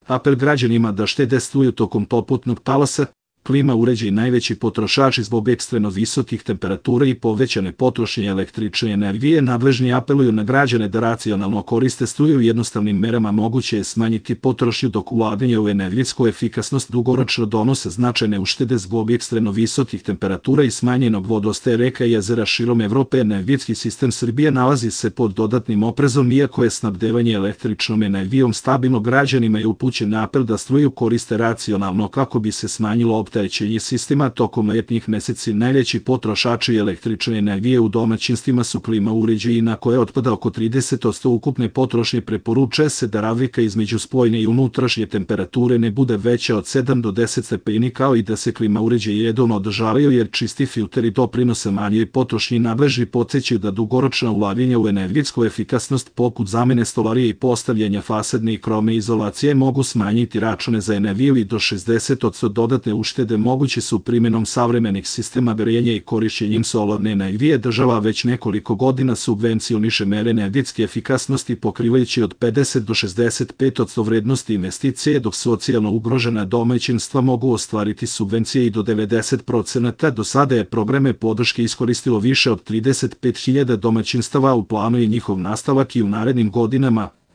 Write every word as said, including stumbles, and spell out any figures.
Apel građanima da štede struju tokom poputnog talasa. Klima uređaj najveći potrošači zbog ekstremno visokih temperatura i povećane potrošnje električne energije. Nadležni apeluju na građane da racionalno koriste struju. Jednostavnim merama moguće je smanjiti potrošnju, dok ulaganje u energetsku efikasnost dugoročno donose značajne uštede zbog ekstremno visokih temperatura i smanjenog vodostaja reka i jezera širom Evrope. Energetski sistem Srbije nalazi se pod dodatnim oprezom, iako je snabdevanje električnom energijom stabilno. Građanima je upućen apel da struju koriste racionalno kako bi se smanjilo opterećenje sistema tokom letnjih meseci. Najveći potrošači električne energije u domaćinstvima su klima uređaji, na koje otpada oko trideset posto ukupne potrošnje. Preporučuje se da razlika između spoljne i unutrašnje temperature ne bude veća od sedam do deset stepeni, kao i da se klima uređaji redovno održavaju, jer čisti filteri doprinose manjoj potrošnji. Nadležni podsećaju da dugoročna ulaganja u energetsku efikasnost, poput zamene stolarije i postavljanja fasadne i krovne izolacije, mogu smanjiti račune za energiju i do šezdeset posto. Dodatne uštede moguće su primjenom savremenih sistema grejanja i korišćenjem solarne energije. Država već nekoliko godina subvencioniše mere energetske efikasnosti, pokrivajući od pedeset do šezdeset pet posto vrednosti investicije, dok socijalno ugrožena domaćinstva mogu ostvariti subvencije i do devedeset posto. Do sada je programe podrške iskoristilo više od trideset pet hiljada domaćinstava. U planu je njihov nastavak i u narednim godinama.